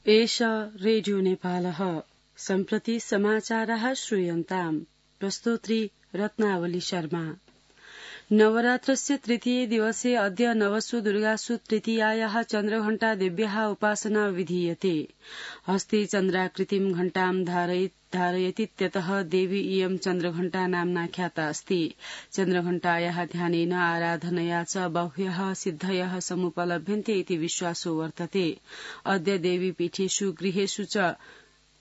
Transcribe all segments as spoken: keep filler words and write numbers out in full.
एष रेडियो नेपालः सम्प्रति समाचारः श्रूयन्ताम् प्रस्तोत्री रत्नावली शर्मा। नवरात्रस्य तृतीये दिवसे अद्य नवसु दुर्गासु तृतीयायाः चन्द्रघण्टा देव्याः उपासना विधीयते। हस्ते चन्द्राकृतिं घण्टां धारयतीत्यतः देवी इयं चन्द्रघण्टा नाम्ना ख्याता अस्ति। चन्द्रघण्टायाः ध्यानेन आराधनया च बह्व्यः सिद्धयः समुपलभ्यन्ते इति विश्वासो वर्तते। अद्य देवीपीठेषु गृहेषु च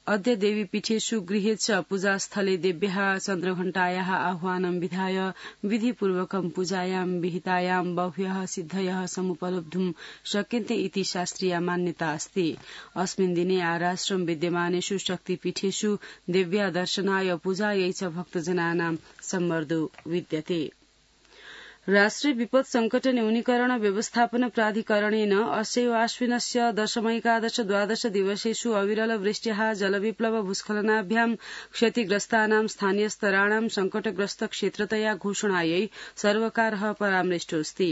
अद्य देवीपीठेषु गृहे च पूजास्थले देव्याः चन्द्रघण्टायाः आह्वानं विधाय विधिपूर्वकं पूजायां विहितायां बह्व्यः सिद्धयः समुपलब्धुं शक्यन्ते इति शास्त्रीया मान्यता अस्ति। अस्मिन् दिने आराश्रम विद्यमानेषु शक्तिपीठेषु देव्या दर्शनाय पूजायै च भक्तजनानां सम्मर्दो विद्यते। राष्ट्रिय विपद संकट न्यूनीकरण व्यवस्थापन प्राधिकरणेन अस्यैव आश्विनस्य दशमैकादश द्वादश दिवसेषु अविरल वृष्ट्याः जलविप्लव भूस्खलनाभ्यां क्षतिग्रस्तानां स्थानीयस्तराणां संकटग्रस्त क्षेत्रतया घोषणायै सर्वकारः परामृष्टोऽस्ति।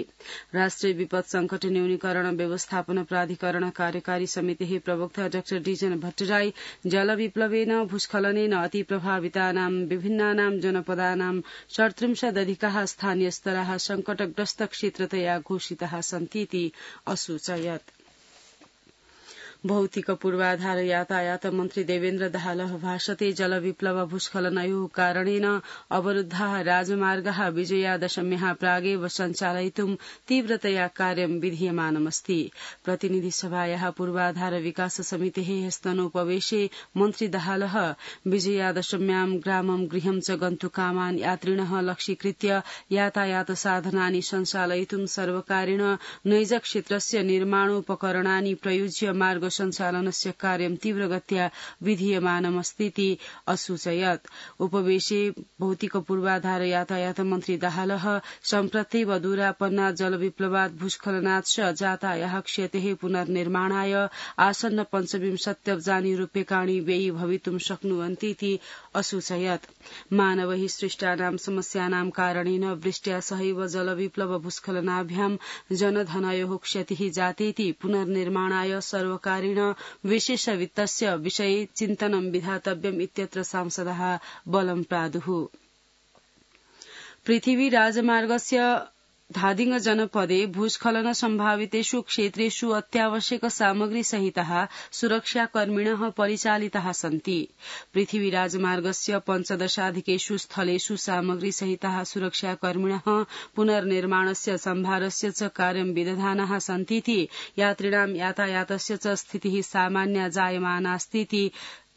राष्ट्रिय विपद संकट न्यूनीकरण व्यवस्थापन प्राधिकरण कार्यकारी समितेः प्रवक्ता डाक्टर डीजन भट्टराई जलविप्लवेन भूस्खलनेन अति प्रभावितानां विभिन्नानां जनपदानां षट्त्रिंशदधिकाः स्थानीयस्तराः संकटग्रस्त क्षेत्रतया घोषिताः सन्तीति असूचयत्। भौतिक पूर्वाधार यातायात मन्त्री देवेन्द्र दाहालः भाषते जलविप्लव भूस्खलनयोः कारणेन अवरुद्धाः राजमार्गाः विजयादशम्याः प्रागेव सञ्चालयितुं तीव्रतया कार्यं विधीयमानमस्ति। प्रतिनिधिसभायाः पूर्वाधार विकास समितेः स्तनोपवेशे मन्त्री दाहालः विजयादशम्यां ग्रामं गृहं च गन्तुकामान् यात्रिणः लक्ष्यीकृत्य यातायात साधनानि सञ्चालयितुं सर्वकारेण नैजक्षेत्रस्य निर्माणोपकरणानि प्रयुज्य मार्ग सञ्चालनस्य कार्यं तीव्रगत्या विधीयमानमस्तीति असूचयत्। उपवेशे भौतिक पूर्वाधार यातायात मन्त्री दाहालः सम्प्रत्येव दूरापन्नात् जलविप्लवात् भूस्खलनात् च जातायाः क्षतेः पुनर्निर्माणाय आसन्न पञ्चविंशत्यब्जानि रूप्यकाणि व्ययी भवितुं शक्नुवन्तीति असूचयत्। मानवैः सृष्टानां समस्यानां कारणेन वृष्ट्या सहैव जलविप्लव भूस्खलनाभ्यां जनधनयोः क्षतिः जातेति पुनर्निर्माणाय सर्वकार विशेष वित्तस्य विषये चिन्तनं विधातव्यम् इत्यत्र सांसदः बलं प्रादुः। पृथिवी राजमार्गस्य धादिङ जनपदे भूस्खलन सम्भावितेषु क्षेत्रेषु अत्यावश्यक सामग्री सहिताः सुरक्षाकर्मिणः परिचालिताः सन्ति। पृथिवी राजमार्गस्य पञ्चदशाधिकेषु स्थलेषु सामग्री सहिताः सुरक्षाकर्मिणः पुनर्निर्माणस्य सम्भारस्य च कार्यं विदधानाः सन्तीति यात्रिणां यातायातस्य च स्थितिः सामान्या जायमानास्तीति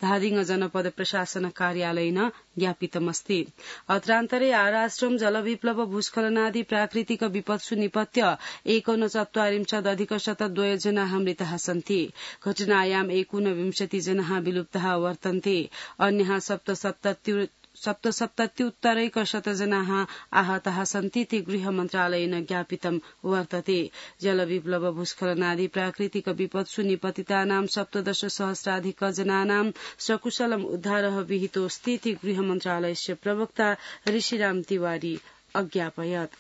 धादिङ जनपद प्रशासन कार्यालयेन ज्ञापितमस्ति। अत्रान्तरे आराश्रम जलविप्लव भूस्खलनादि प्राकृतिक विपत्सु निपत्य एकोनचत्वारिंशदधिक शतद्वय जनाः मृताः सन्ति। घटनायाम् एकोनविंशति जनाः विलुप्ताः वर्तन्ते। अन्याः सप्तसप्तति सप्तसप्तत्युत्तरैकशत जनाः आहताः सन्तीति गृह मन्त्रालयेन ज्ञापितं वर्तते। जलविप्लव भूस्खलनादि प्राकृतिक विपत्सु निपतितानां सप्तदश सहस्राधिक जनानां सकुशलम् उद्धारः विहितोऽस्तीति गृह मन्त्रालयस्य प्रवक्ता ऋषिराम तिवारी अज्ञापयत्।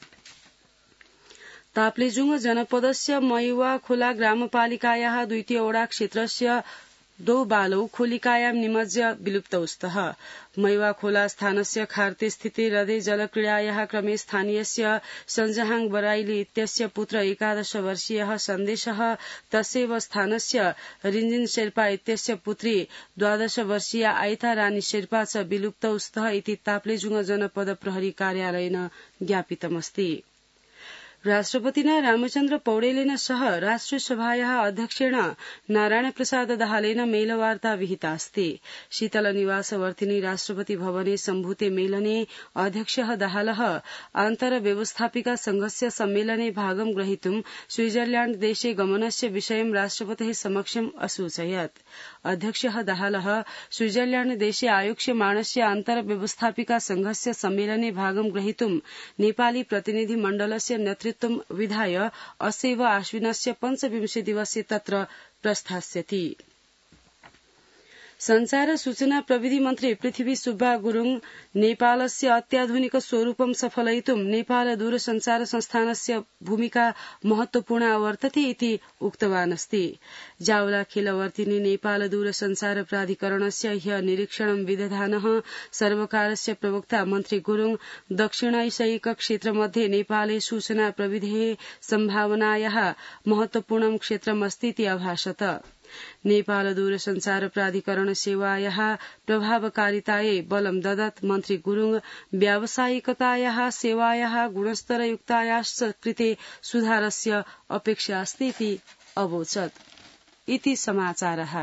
ताप्लेजुङ जनपदस्य मयुवा खोला ग्रामपालिकायाः द्वितीय ओडा क्षेत्रस्य द्वौ बालौ खोलिकायां निमज्य विलुप्तौ स्तः। मयुवा खोला स्थानस्य खार्ते स्थिते हृदे जलक्रीडायाः क्रमे स्थानीयस्य सञ्जहाङ बराइली इत्यस्य पुत्र एकादश वर्षीयः सन्देशः तस्यैव स्थानस्य रिञ्जिन शेर्पा इत्यस्य पुत्री द्वादश वर्षीया आइता रानी शेर्पा च विलुप्तौ स्तः इति ताप्लेजुङ जनपद प्रहरी कार्यालयेन ज्ञापितमस्ति। राष्ट्रपतिना रामचन्द्र पौडेलेन सह राष्ट्रियसभायाः अध्यक्षेण नारायण प्रसाद दाहालेन मेलवार्ता विहिता अस्ति। शीतल निवासवर्तिनी राष्ट्रपति भवने सम्भूते मेलने अध्यक्षः दाहालः आन्तरव्यवस्थापिका संघस्य सम्मेलने भागं ग्रहीतुं स्विट्जरलैण्ड देशे गमनस्य विषयं राष्ट्रपतेः समक्षम् असूचयत्। अध्यक्षः दाहालः स्विट्जरलैण्ड देशे आयोक्ष्यमाणस्य आन्तरव्यवस्थापिका संघस्य सम्मेलने भागं ग्रहीतुं नेपाली प्रतिनिधि मण्डलस्य नेतृत्वं विधाय अस्यैव आश्विनस्य पञ्चविंशे दिवसे तत्र प्रस्थास्यति। संचार सूचना प्रविधि मन्त्री पृथ्वी सुब्बा गुरुङ नेपालस्य अत्याधुनिक स्वरूपं सफलयितुं नेपाल दूरसञ्चार संस्थानस्य भूमिका महत्वपूर्णा वर्तते इति उक्तवान् अस्ति। जावलाखेलवर्तिनि नेपाल दूरसञ्चार प्राधिकरणस्य ह्य निरीक्षणं विदधानः सर्वकारस्य प्रवक्ता मन्त्री गुरुङ दक्षिणैशयिक क्षेत्रमध्ये नेपाले सूचना प्रविधेः सम्भावनायाः महत्वपूर्णं क्षेत्रमस्ति इति अभाषत। नेपाल दूरसञ्चार प्राधिकरण सेवायाः प्रभावकारितायै बलं ददत् मन्त्री गुरुङ व्यावसायिकतायाः सेवायाः गुणस्तरयुक्तायाश्च कृते सुधारस्य अपेक्षा अस्ति इति अवोचत्। इति समाचारः।